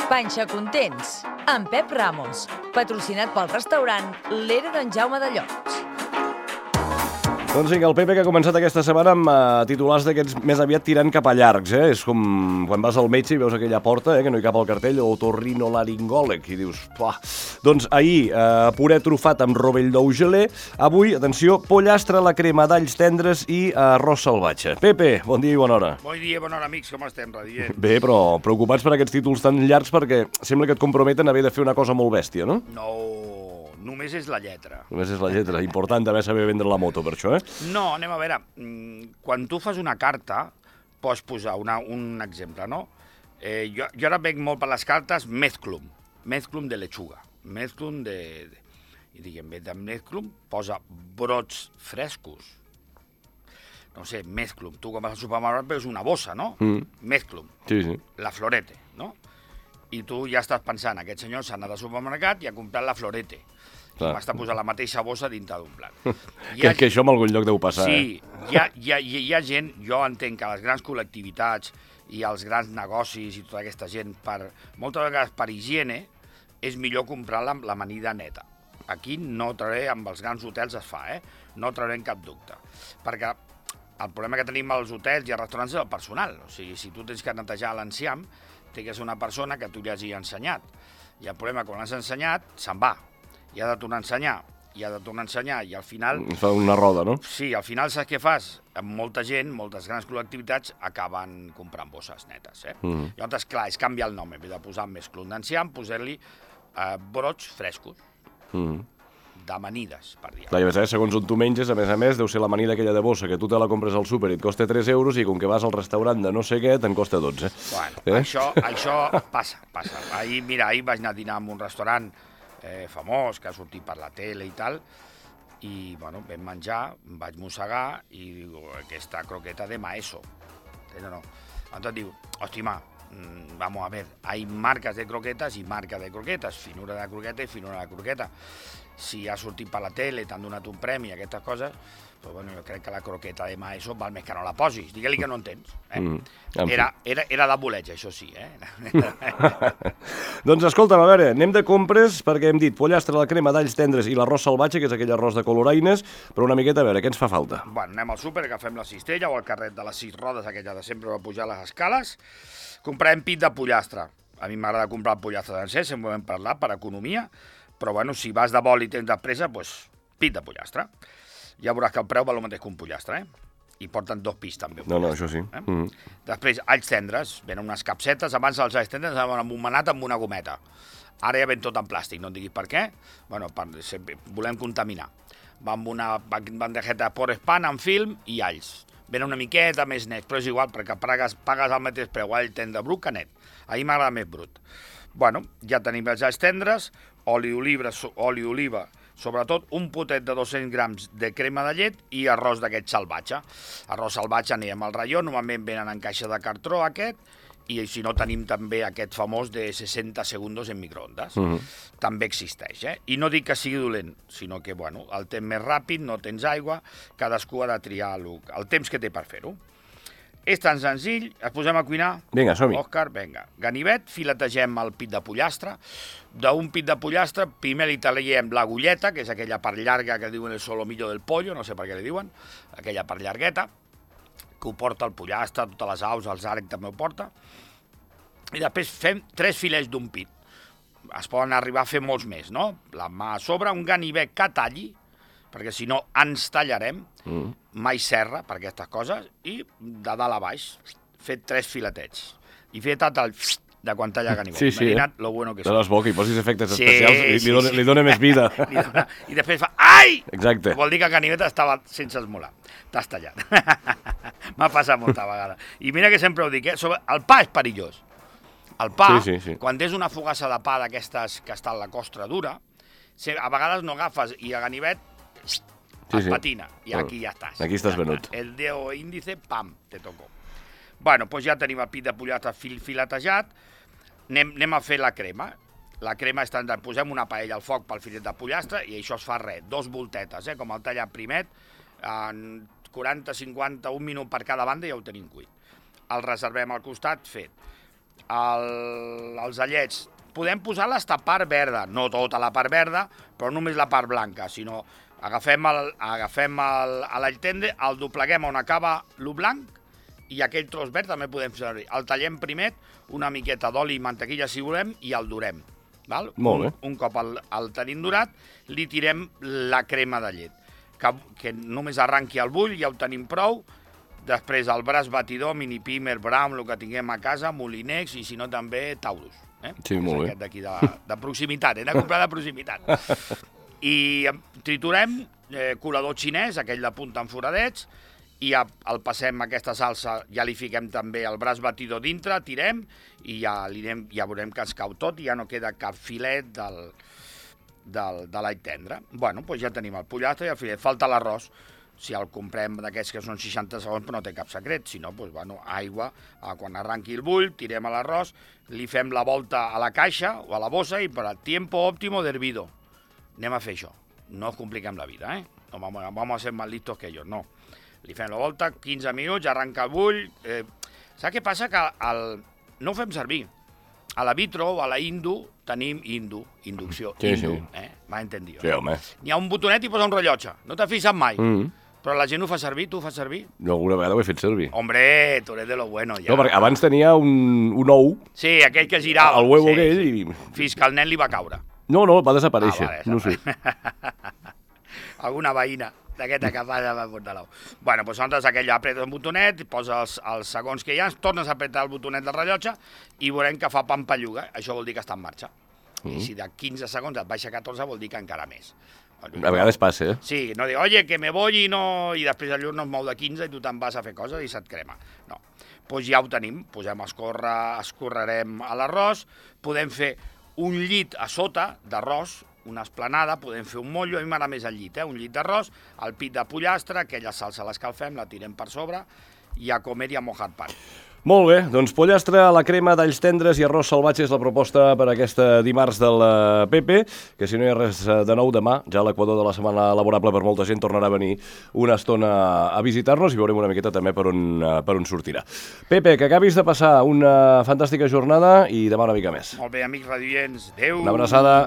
Panxa Contents, amb Pep Ramos, patrocinat pel restaurant L'Era d'en Jaume de Llots. Doncs vinga, el Pepe que ha començat aquesta setmana amb titulars d'aquests més aviat tirant cap a llargs, És com quan vas al metge i veus aquella porta, que no hi cap al cartell, otorrinolaringòleg, i dius, pua. Doncs ahir, puré trufat amb rovell d'ou gelé, avui, atenció, pollastre a la crema d'alls tendres i arròs salvatge. Pepe, bon dia i bona hora. Bon dia, bona hora, amics, com estem, radiant? Bé, però preocupats per aquests títols tan llargs perquè sembla que et comprometen a haver de fer una cosa molt bèstia, no? No, només és la lletra. Només és la lletra, important també saber vendre la moto per això, No, anem a veure, quan tu fas una carta, pots posar un exemple, no? Jo ara veig molt per les cartes mezclum de lechuga, mezclum i diguem, de mezclum posa brots frescos. No sé, mezclum, tu quan vas al supermercat veus una bossa, no? Mezclum, Sí, sí. la florete, no? I tu ja estàs pensant, aquest senyor s'ha anat al supermercat i ha comprat la florete. Clar. M'està posant la mateixa bossa dintre d'un plat. Que això en algun lloc deu passar, Sí, hi ha gent, jo entenc que les grans col·lectivitats i els grans negocis i tota aquesta gent, moltes vegades per higiene, és millor comprar l'amanida neta. Aquí no trauré, amb els grans hotels es fa, no traurem cap dubte. Perquè el problema que tenim als hotels i als restaurants és el personal. O sigui, si tu tens que netejar l'enciam, té que ser una persona que tu li hagi ensenyat. I el problema, quan l'has ensenyat, se'n va. I ha de tornar a ensenyar, i al final... Fa una roda, no? Sí, al final saps què fas? Molta gent, moltes grans col·lectivitats acaben comprant bosses netes, Llavors, clar, és canviar el nom, en vez de posar més clon d'enciam, posar-li brots frescos, d'amanides, per dir. Clar, i a més, segons on tu menges, a més, deu ser l'amanida aquella de bossa, que tu te la compres al súper i et costa 3 euros i com que vas al restaurant de no sé què, te'n costa 12. Bueno, això passa. Ahir vaig anar a dinar en un restaurant famós, que ha sortit per la tele i tal, i, bueno, vam menjar, em vaig mossegar i diu, aquesta croqueta de maeso. No. Entonces diu, hòstima, vamos a ver, hay marcas de croquetas y marcas de croquetas, finura de croqueta i finura de croqueta. Si ha sortit per la tele, t'han donat un premi, aquestes coses, però bueno, jo crec que la croqueta de maeso val més que no la posis. Digue-li que no entens. Era de boleig, això sí, Doncs escolta'm, a veure, anem de compres perquè hem dit pollastre a la crema d'alls tendres i l'arròs salvatge, que és aquell arròs de coloraines, però una miqueta, a veure, què ens fa falta? Bueno, anem al súper, agafem la cistella o el carret de les 6 rodes, aquella de sempre per pujar les escales, comprem pit de pollastre. A mi m'agrada comprar el pollastre sencer, sempre ho hem parlat, per economia, però bueno, si vas de vol i tens de pressa, doncs pit de pollastre. Ja veuràs que el preu val el mateix que un pollastre, I porten 2 pis, també. No, això sí. Després, alls tendres, venen unes capsetes, abans els alls tendres anaven embomenat amb una gometa. Ara ja ven tot en plàstic, no em diguis per què. Bueno, volem contaminar. Va amb una bandejeta por pan amb film i alls. Venen una miqueta més net, però és igual, perquè pagues el mateix preu all tendre brut que net. A mi m'agrada més brut. Bueno, ja tenim els alls tendres, oli d'oliva, sobretot un potet de 200 grams de crema de llet i arròs d'aquest salvatge. Arròs salvatge anirem al raió, normalment venen en caixa de cartró aquest, i si no tenim també aquest famós de 60 segundos en microondes. També existeix, I no dic que sigui dolent, sinó que, bueno, el temps més ràpid, no tens aigua, cadascú ha de triar el temps que té per fer-ho. És tan senzill, es posem a cuinar? Vinga, som-hi. Òscar, vinga. Ganivet, filetegem el pit de pollastre. D'un pit de pollastre, primer li taliem l'agulleta, que és aquella part llarga que diuen el solomillo del pollo, no sé per què li diuen, aquella part llargueta, que ho porta el pollastre, totes les aus, els àrec també ho porta. I després fem 3 filets d'un pit. Es poden arribar a fer molts més, no? La mà a sobre, un ganivet que talli, perquè si no ens tallarem, mai serra per aquestes coses, i de dalt a baix, fet 3 filetets. I fet el de quan talla ganivet. Sí, Imagina't lo bueno que és. És bo que hi posis efectes especials i li dona més vida. I després fa, ai! Exacte. Vol dir que el ganivet estava sense esmolar. T'has tallat. M'ha passat molta vegada. I mira que sempre ho dic, el pa és perillós. El pa, quan tens una fogassa de pa d'aquestes que està en la costra dura, a vegades no agafes i el ganivet es patina, i aquí ja estàs. Aquí estàs venut. El dedo índice, pam, te tocó. Bueno, doncs ja tenim el pit de pollastre filetejat, anem a fer la crema. La crema és tant, posem una paella al foc pel filet de pollastre i això es fa 2 voltetes, com el tallat primet, en 40, 50, un minut per cada banda ja ho tenim cuit. El reservem al costat fet. els allets, podem posar la part verda, no tota la part verda, però només la part blanca, sinó agafem l'all tendre, el dobleguem on acaba el blanc i aquell tros verd també podem fer servir. El tallem primer, una miqueta d'oli i mantequilla si volem i el durem. Val? Molt bé. Un cop el tenim durat, li tirem la crema de llet, que només arranqui el bull, ja ho tenim prou. Després el braç batidor, mini pimer, brown, el que tinguem a casa, molinex i si no també taurus. Sí, molt bé. Aquest d'aquí de proximitat, hem de comprar de proximitat. I triturem colador xinès, aquell de punta amb foradets, i el passem aquesta salsa, ja li fiquem també el braç batidor dintre, tirem i ja veurem que es cau tot i ja no queda cap filet de l'all tendre. Bueno, doncs ja tenim el pollastre i el filet. Falta l'arròs. Si el comprem d'aquests que són 60 segons, però no té cap secret. Si no, doncs, bueno, aigua, quan arranqui el bull, tirem l'arròs, li fem la volta a la caixa o a la bossa i per al tiempo óptimo d'hervido. Anem a fer això. No us compliquem la vida, No vamos a ser más listos que ellos, no. Li fem la volta, 15 minuts, arranca el bull. Saps què passa? Que no ho fem servir. A la vitro o a la tenim inducció. Sí. M'ha entendido. Sí, home. N'hi ha un botonet i posa un rellotge. No t'has fixat mai. Però la gent ho fa servir, tu ho fas servir? No, alguna vegada ho he fet servir. Hombre, tu eres de lo bueno, ja. No, perquè abans tenia un ou, Sí, aquell que girava. el huevo sí, aquell, sí. i... Fins que el nen li va caure. No, va desaparèixer, vale, no sé. Alguna veïna d'aquesta que va portar l'ou. Bueno, doncs nosaltres aquell apretes un botonet, poses els segons que hi ha, tornes a apretar el botonet del rellotge i veurem que fa pampalluga. Això vol dir que està en marxa. I si de 15 segons et baixa 14 vol dir que encara més. A vegades passa, Sí, no dir, oye, que me voy i no... I després el llur no es mou de 15 i tu te'n vas a fer coses i se't crema. No. Doncs ja ho tenim. Posem a escórrer, escorrerem a l'arròs. Podem fer un llit a sota d'arròs, una esplanada, podem fer un mollo, a mi m'agrada més el llit, un llit d'arròs, el pit de pollastre, aquella salsa l'escalfem, la tirem per sobre i a comer i a mojar pan. Molt bé, doncs pollastre a la crema d'alls tendres i arròs salvatge és la proposta per aquesta dimarts del Pepe, que si no hi ha res de nou demà, ja l'equador de la setmana laborable per molta gent tornarà a venir una estona a visitar-nos i veurem una miqueta també per on sortirà. Pepe, que acabis de passar una fantàstica jornada i demà una mica més. Molt bé, amics radioients. Adéu! Una abraçada.